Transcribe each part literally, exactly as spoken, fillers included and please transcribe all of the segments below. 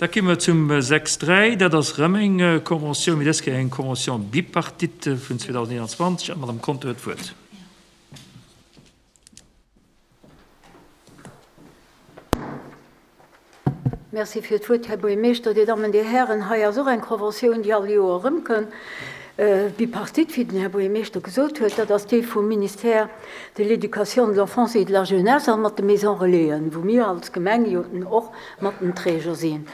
Da komme wir zum sechs dräi, dat ass erëm eng Convention, mee dës Kéier eng Convention bipartite vun zweedausendeenanzwanzeg. An Madame Conter huet d'Wuert. Merci fir d'Wuert, Här Buergermeeschter, Dir Dammen, Dir Hären. Hei ass och eng Conventioun, déi all Joer erëmkënnt. Bipartite, wéi den Här Buergermeeschter gesot huet, dat ass déi vum Ministère de l'Éducation, de l'Enfance et de la Jeunesse an mat de Maisons Relaisen, wou mir als Gemeng jo och mat den Träger sinn.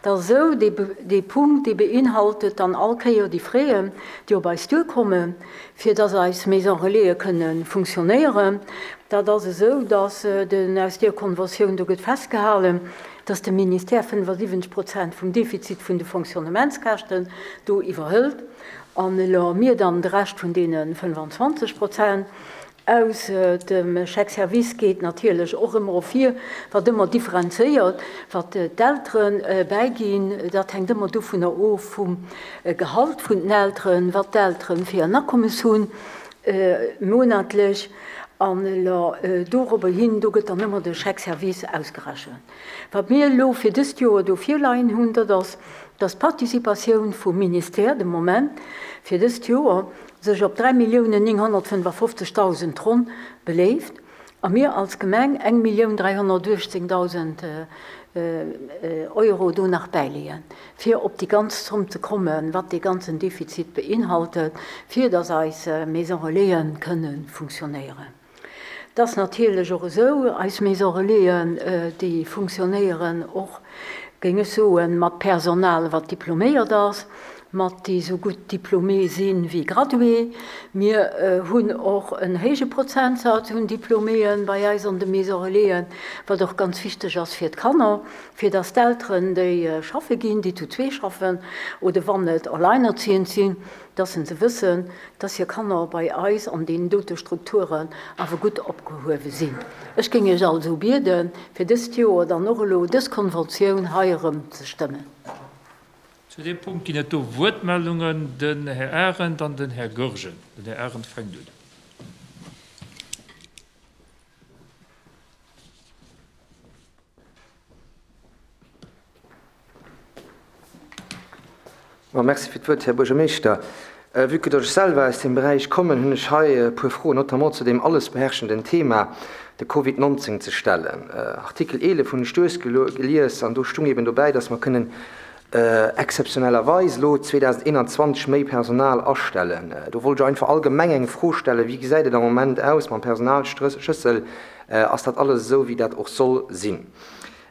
Dat ass esou, dee Be-, dee Punkt, dee beinhaltet dann all Kéier déi Frais, déi op eis duerkommen, fir dass eis Maisons Relaisen kënnen funktionéieren. Dat ass esou, dass den, aus der Konventioun do gëtt festgehalten, dass de Ministère fënnefundsiwwenzeg Prozent vum Defizit vun de Fonctionnementskäschten do iwwerhëlt an elo mir dann de Rescht vun deene fënnefanzwanzeg Prozent. Aus dem Chèque-Service geet natierlech och ëmmer ervir, wat ëmmer differenzéiert, wat d'Elteren bäiginn. Dat hänkt ëmmer dovunner of vum Gehalt vun den Elteren, wat d'Elteren fir en Akommes hunn, monatlech. An elo dorobber hin, do gëtt dann ëmmer de Chèque-Service ausgerechent. Wat mir elo fir dëst Joer do virleien hunn, dat ass, dass d'Participatioun vum Ministère de Moment fir dëst Joer sech op dräi Milliounen nénghonnertfënnefundfofzegdausend ronn beléift a mir als Gemeng eng Millioun dräihonnertuechtzéngdausend Euro do nach bäileeën, fir op déi ganz Zomm ze kommen, wat dee ganzen Defizit beinhaltet, fir dass eis Maison Relaisen kënne funktionéieren. Dat ass natierlech och esou, eis Maison Relaisen, déi funktionéieren och, géing ech soen, mat Personal, wat diploméiert ass, mat déi sou gutt diplomé sinn wéi gradué. Mir hunn och en héije Prozentsatz un Diploméen bei eis an de Maison Relaisen, wat och ganz wichteg ass fir d'Kanner, fir dass d'Elteren, déi schaffe ginn, déi zu zwee schaffen oder wann et alleinerziehend sinn, dass se wëssen, dass hir Kanner bei eis an den dote Strukturen awer gutt opgehuewe sinn. Ech géing iech also bieden, fir dëst Joer dann och elo dës Konventioun hei erëm ze stëmmen. Zu dem Punkt ginn et do Wuertmeldungen, den Här Arendt an den Här Goergen. Den Här Arendt fänkt un. Bon, merci fir d'Wuert, Här Buergermeeschter. Vu que dass ech selwer aus dem Beräich kommen, hunn ech hei e puer Froen, notamment zu dem alles beherrschenden Thema, de Covid neunzehn ze stellen. Artikel elef hunn ech duerchgelies an do stung eben dobäi, dass mer kënnen exzeptionellerweise lo zweedausendeenanzwanzeg méi Personal astellen. Do wollt ich einfach allgemeng eng Fro stellen, wie gesäit et am Moment aus mam Personalschlüssel? Ass dat alles esou, wéi dat och soll sinn?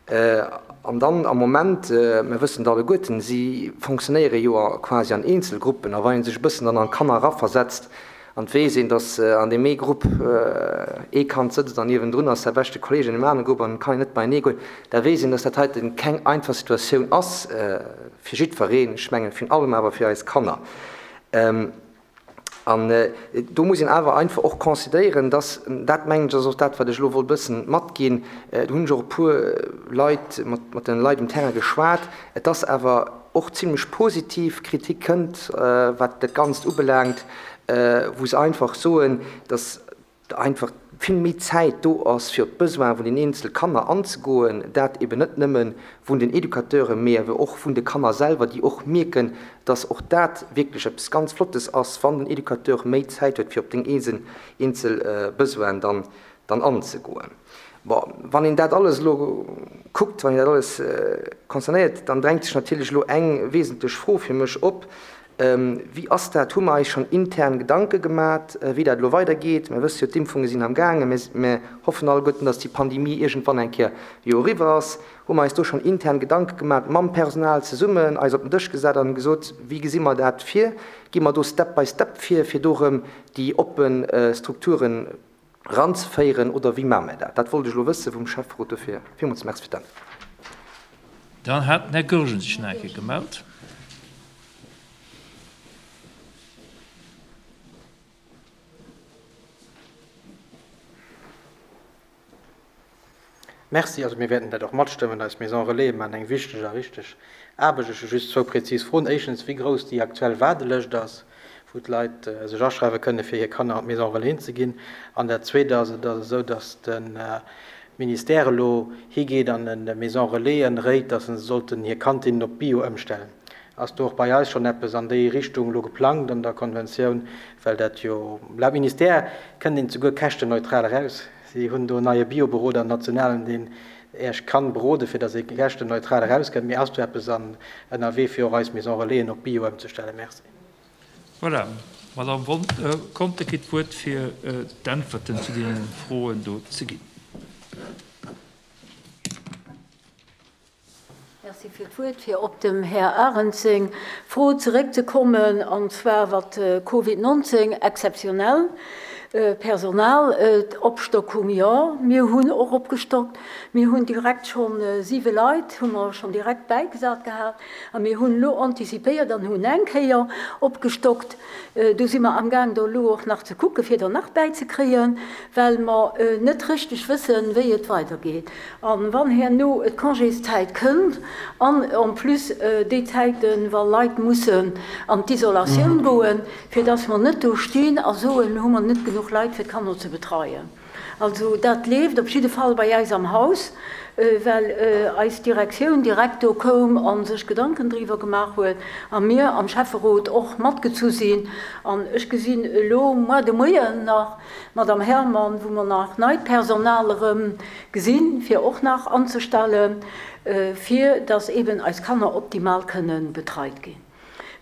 An dann am Moment, mir wëssen alleguerten, sie funktionéiere jo quasi an Einzelgruppen, a wann een sech e bëssen dann an d'Kanner raversetzt, an weess een, dass an dem ee Grupp ee Kand sëtzt an niewendrun ass der beschte Kollege in dem anderen Grupp an kann net beienee goen, da weess een, dass dat heiten keng einfach Situatioun ass fir jiddwereen, ech mengen virun allem awer fir eis Kanner. An do muss een awer einfach och considéieren, dass, dat mengen ech ass och dat, wat ech elo wollt bëssen matginn, do hunn ech och e puer Leit mat, mat den Leit um Terrain geschwat, et ass awer och ziemlech positiv Kritik kënnt, wat dat Ganzt ubelaangt, wou se einfach soen, dass einfach vill méi Zäit do ass, fir op d'Besoin vun den einzelnen Kanner anzegoen, dat eben net nëmmen vun den Educateuren, mee awer och vun de Kanner selwer, déi och mierken, dass och dat wierklech eppes ganz Flottes ass, wann den Educateur méi Zäit huet, fir op den einzelnen, einzelnen Besoin dann, dann anzegoen. Bon, wann een dat alles lo kuckt, wann een dat alles concernéiert, dann drängt sech natierlech lo eng wesentlech Fro fir mech op. Wie ass dat? Hu mer eis schon intern Gedanke gemacht, wéi dat lo weitergeet? Mir wësse jo, d'Impfunge sinn am Gaangen. Mir, mir hoffen alleguerten, dass déi Pandemie irgendwann eng Kéier jo eriwwer ass. Hu mer eis do schon intern Gedanke gemacht, mam Personal zesummen, eis op den Dësch gesat an gesot, wéi gesi mer dat vir? Gi mer do Step by Step vir, fir do erëm déi oppen Strukturen ranzeféieren oder wéi maache mer dat? Dat wollt ech lo wësse vum Schäfferot dofir. Villmools merci fir d'Antwort. Dann hat den Här Goergen sech nach eng Kéier gemellt. Merci, also mir werden dat och matstëmmen, eis Maison Relais maachen eng wichteg a richteg Aarbecht. Ech hu just zwou präzis Froen. Éischtens, wéi grouss déi aktuell Waardelëscht ass, wou d'Leit sech aschreiwe kënne, fir hir Kanner an d'Maison Relais ze ginn. An dat Zweete ass, et ass esou, dass de Ministère elo higeet an de Maison Relaisen réit, dass se sollten hir Kantinnen op Bio ëmstellen. Ass do och bei eis schonn eppes an déi Richtung elo geplangt an der Konventioun, well dat jo laut Ministère kënnt een souguer käschtenneutral eraus. Si hunn do en neie Bioberoder, en nationalen, deen Iech kann beroden, fir dass ee käschtenneutral erauskënnt. Mee ass do eppes an ënnerwee, fir och eis Maison Relaisen op Bio ëmzestellen? Merci. Voilà, Madame Conter kritt d'Wuert, fir d'Äntwerten zu deene Froen do ze ginn. Merci fir d'Wuert. Fir op dem Här Arendt seng Fro zeréckzekommen, an zwar wat Covid neunzehn exzeptionell Personal, Opstockung, jo, mir hunn och opgestockt. Mir hunn direkt schonn siwe Leit, hu mer schonn direkt bäigesat gehat. A mir hunn elo antizipéiert an hunn eng Kéier opgestockt. Do si mer amgaang, do elo och nach ze kucken, fir der nach bäizekréien, well mer net richteg wëssen, wéi et weidergeet. An wann herno d'Congészäit kënnt an en plus déi Zäiten, wa Leit mussen an d'Isolatioun goen, fir dass mer net do stinn a soen, hu mer net genuch Leit fir d'Kanner ze betreien. Also dat leeft op jidde Fall bei eis am Haus, well eis Direktioun direkt do koum a sech Gedanken driwwer gemaach huet a mir am Schäfferot och matgezu sinn. An ech gesinn elo muer de Moien nach Madame Herman, wou mer nach neit Personal erëm gesinn, fir och nach anzestellen, fir dass eben eis Kanner optimal kënnen betreit ginn.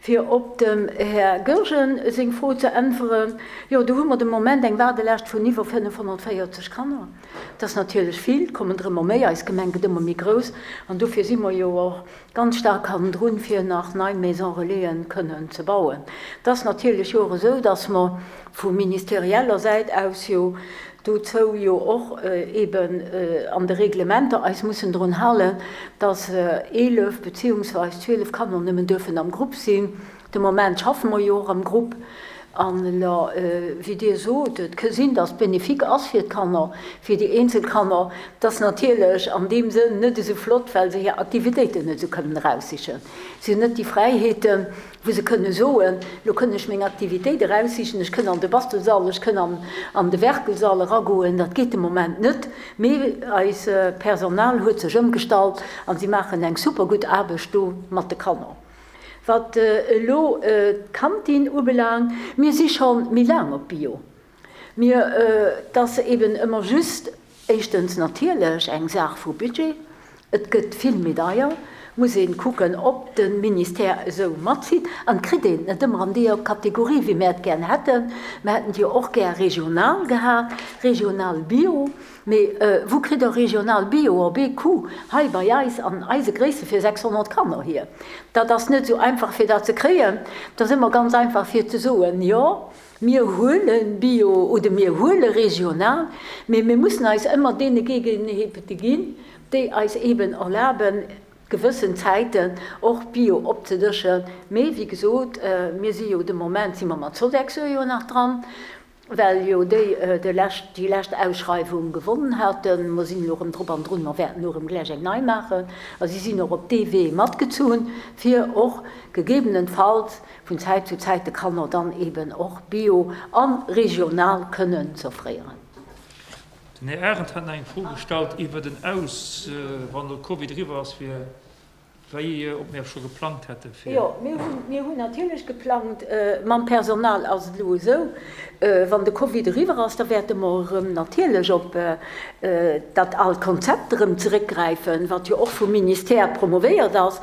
Fir op dem Här Goergen seng Fro ze äntweren, jo, do hu mer de Moment eng Waardelescht vun iwwer fënnefhonnertvéierzeg Kanner. Dat ass natierlech vill, et kommen der ëmmer méi, eis Gemeng gëtt ëmmer méi grouss an dofir si mer jo och ganz staark hannendrun, fir nach nei Maison Relaisen kënnen ze bauen. Dat ass natierlech jo och esou, dass mer vu ministerieller Säit aus jo dozou jo och eben an de Reglementer eis mussen drun halen, dass eelef beziehungsweise zwielef Kanner nëmmen dürfen am Grupp sinn. De Moment schaffe mer jo och am Grupp. An elo, wéi Dir sot, et ka sinn, dass bénéfique ass fir d'Kanner, fir déi eenzel Kanner, dass natierlech an deem Sënn net esou flott, well se hir Aktivitéiten net esou kënnen eraussichen. Si hunn net déi Fräiheeten, wou se kënne soen, lo kënn ech meng Aktivitéit eraussichen, ech kënn an de Bastelsall, ech kënn an, an de Werkelsall eragoen. Dat geet de Moment net. Mee eis Personal huet sech ëmgestallt an si maachen eng super gutt Aarbecht do mat de Kanner. Wat elo d'Kantin ubelaangt, mir si scho méi laang op Bio. Mir, et ass eben ëmmer just éischtens natierlech eng Saach vu Budget. Et gëtt vill méi deier. Muss een kucken, ob de Ministère esou matzitt. An kritt een net ëmmer an deeër Kategorie, wéi mir et gär hätten. Mir hätten jo och gär regional gehat, regional Bio. Mee wou kritt der regional Bio op ee Coup hei bei eis an eise Gréisste fir sechshonnert Kanner hier? Dat ass net esou einfach fir dat ze kréien. Dat ass ëmmer ganz einfach fir ze soen, jo, mir huele Bio oder mir huele regional, mee mir mussen eis ëmmer deene Gegebenheete ginn, déi eis eben erlaben, gewëssen Zäiten och Bio opzedëschen. Mee wéi gesot, mir si jo de Moment si mer mat Sodexo jo nach dran, well jo déi de lescht, déi lescht Ausschreiwung gewonnen haten. Mer sinn elo erëm drop an drun, mer wäerten elo erëm gläich eng nei maachen. A si sinn och op dee Wee matgezunn, fir och gegebenenfalls vun Zäit zu Zäit de Kanner dann eben och Bio a regional kënnen z'offréieren. Den Här Arendt hat nach eng Fro gestallt iwwer den Aus, wann de Covid eriwwer ass, fir wéi ob mir scho geplangt hätte fir. Jo, mir hunn, mir hunn natierlech geplangt. Mam Personal ass et elo esou, wann de Covid eriwwer ass, da wäerte mer erëm natierlech op dat aalt Konzept erëm zeréckgräifen, wat jo och vum Ministère promovéiert ass.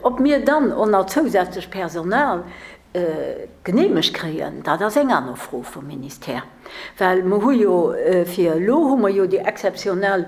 Ob mir dann och nach zousätzlech Personal geneemegt kréien, dat ass eng aner Fro vum Ministère. Well mer hu jo fir elo hu mer jo déi exzeptionell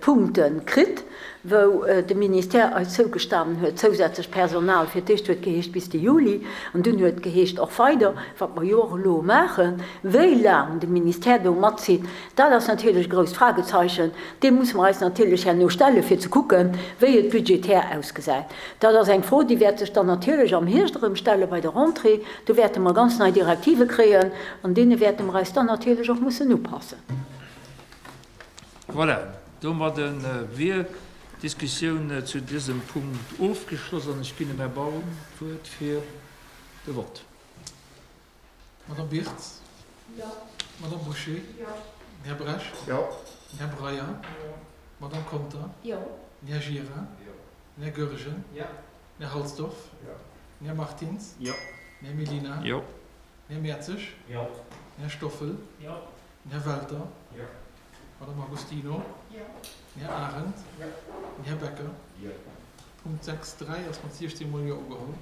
Punkte kritt, wou de Ministère eis zougestanen huet, zousätzlech Personal. Fir d'éischt huet geheescht bis de Juli an dunn huet geheescht och weider, wat mer jo och elo maachen. Wéi laang de Ministère do matzitt, dat ass natierlech e grousst Fragezeichen. Deem musse mer eis natierlech herno stellen, fir ze kucken, wéi et budgetär ausgesäit. Dat ass eng Fro, déi wäert sech dann natierlech am Hierscht erëm stelle bei der Rentrée. Do wäerte mer ganz nei Direktive kréien, an deene wäerte mer eis dann natierlech och mussen upassen. Voilà, domadde wier d'Diskussioun zu dësem Punkt ofgeschloss an ech ginn dem Här Baum d'Wuert fir de Vott. Madame Birtz? Jo. Madame Boucher? Jo. Här Bresch? Jo. Den Här Breyer. Jo. D'Madame Conter. Jo. Den Här Gira. Jo. Den Här Goergen. Jo. Den Här Halsdorf. Jo. Den Här Martins. Jo. Den Här Mellina. Jo. Den Här Mertzig. Jo. Den Här Stoffel. Jo. Den Här Welter. Jo. D'Madame Agostino. Jo. Den Här Arendt. Jo. Den Här Becker. Jo. Punkt sechs dräi ass mat siechzéng mol Jo ugeholl.